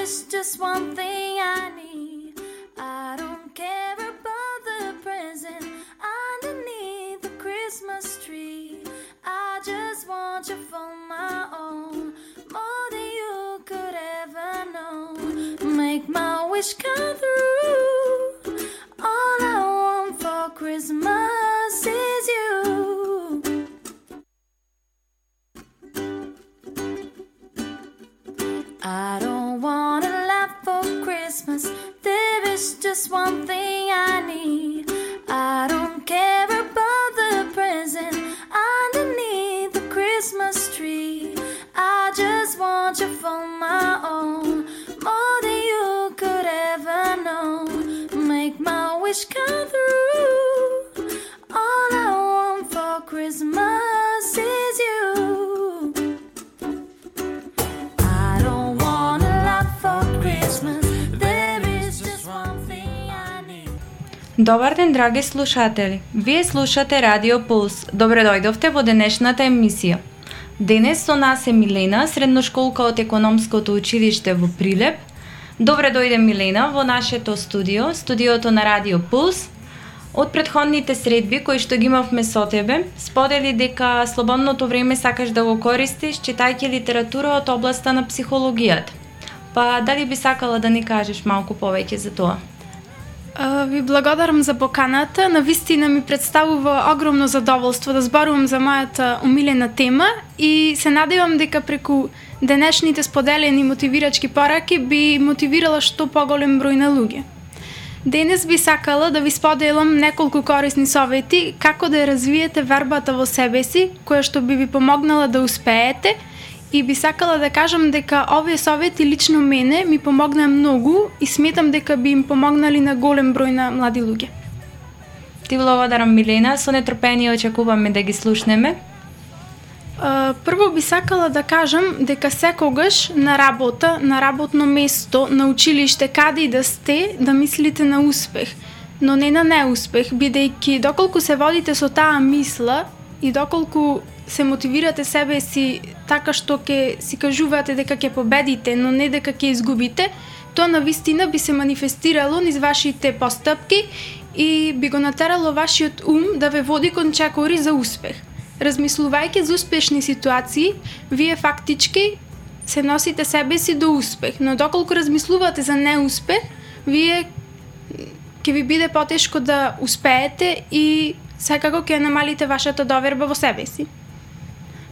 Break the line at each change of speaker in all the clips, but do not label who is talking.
is just one thing I need. I don't care about the present underneath the Christmas tree. I just want you for my own, more than you could ever know. Make my wish come through. All I want for Christmas is you. I don't want a lot for Christmas. There is just one thing I need. I don't care about the present underneath the Christmas tree. I just want you for my own, more than you could ever know. Make my wish come through. All I want for Christmas is you. I don't want a lot for Christmas. There is just one thing I need.
Добар ден, драги слушатели! Вие слушате Радио Пулс. Добре дојдовте во денешната емисија. Денес со нас е Милена, средношколка од економското училиште во Прилеп. Добре дојде, Милена, во нашето студио, студиото на Радио Пулс. Од претходните средби кои што ги имавме со тебе, сподели дека слободното време сакаш да го користиш читајќи литература од областа на психологијата. Па дали би сакала да ни кажеш малку повеќе за тоа?
Ви благодарам за поканата. Навистина ми представува огромно задоволство да зборувам за мојата умилена тема и се надевам дека преку денешните споделени мотивирачки пораки би мотивирала што поголем број на луѓе. Денес би сакала да ви споделам неколку корисни совети како да ја развиете вербата во себе си, која што би ви помогнала да успеете, и би сакала да кажам дека овие совети лично мене ми помогнаа многу и сметам дека би им помогнали на голем број на млади луѓе.
Ти благодарам, Милена, со нетрпение очекуваме да ги слушнеме.
Прво би сакала да кажам дека секогаш на работа, на работно место, на училиште, каде и да сте, да мислите на успех, но не на неуспех, бидејќи доколку се водите со таа мисла и доколку се мотивирате себе си така што ќе си кажувате дека ќе победите, но не дека ќе изгубите, тоа навистина би се манифестирало низ вашите постапки и би го натерало вашиот ум да ве води кон чекори за успех. Размислувајќи за успешни ситуации, вие фактички се носите себе си до успех, но доколку размислувате за неуспех, вие ќе ви биде потешко да успеете и секако ќе намалите вашата доверба во себе си.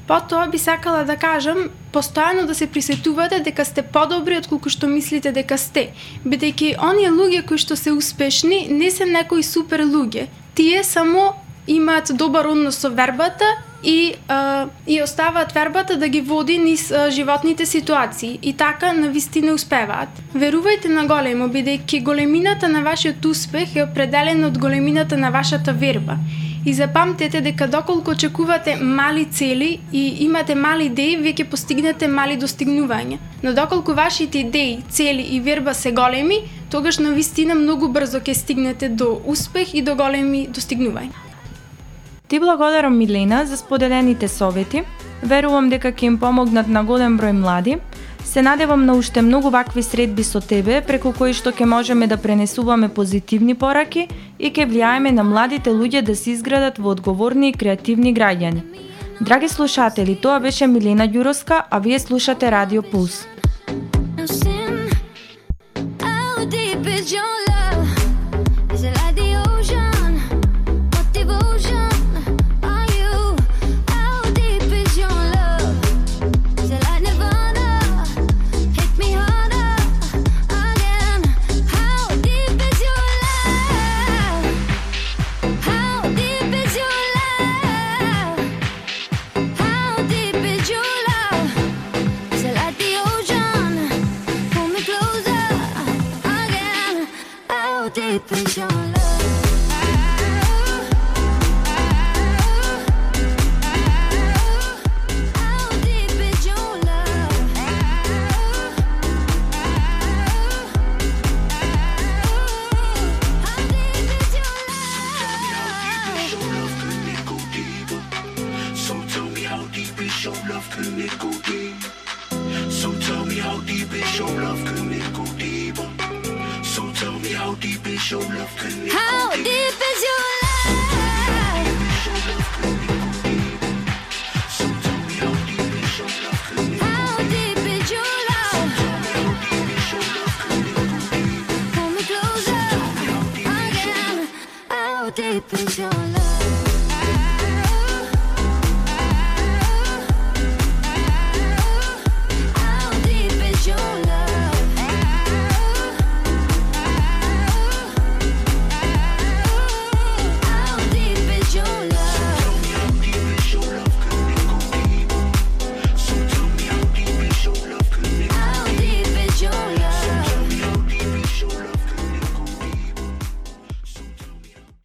Потоа би сакала да кажам, постојано да се присетувате дека сте подобри од колку што мислите дека сте, бидејќи оние луѓе кои што се успешни не се некои супер луѓе. Тие само имаат добар однос со вербата и оставаат вербата да ги води низ животните ситуации и така навистина успеваат. Верувајте на големо, бидејќи големината на вашиот успех е определена од големината на вашата верба. И запамтете дека доколку очекувате мали цели и имате мали идеи, вие ќе постигнете мали достигнувања. Но доколку вашите идеи, цели и верба се големи, тогаш навистина многу брзо ќе стигнете до успех и до големи достигнувања.
Ти благодарам, Милена, за споделените совети. Верувам дека ќе им помогнат на голем број млади. Се надевам на уште многу вакви средби со тебе, преку кои што ќе можеме да пренесуваме позитивни пораки и ќе влијаеме на младите луѓе да се изградат во одговорни и креативни граѓани. Драги слушатели, тоа беше Милена Ѓуровска, а вие слушате Радио Пулс.
So tell me how deep is your love, can it Show love connect.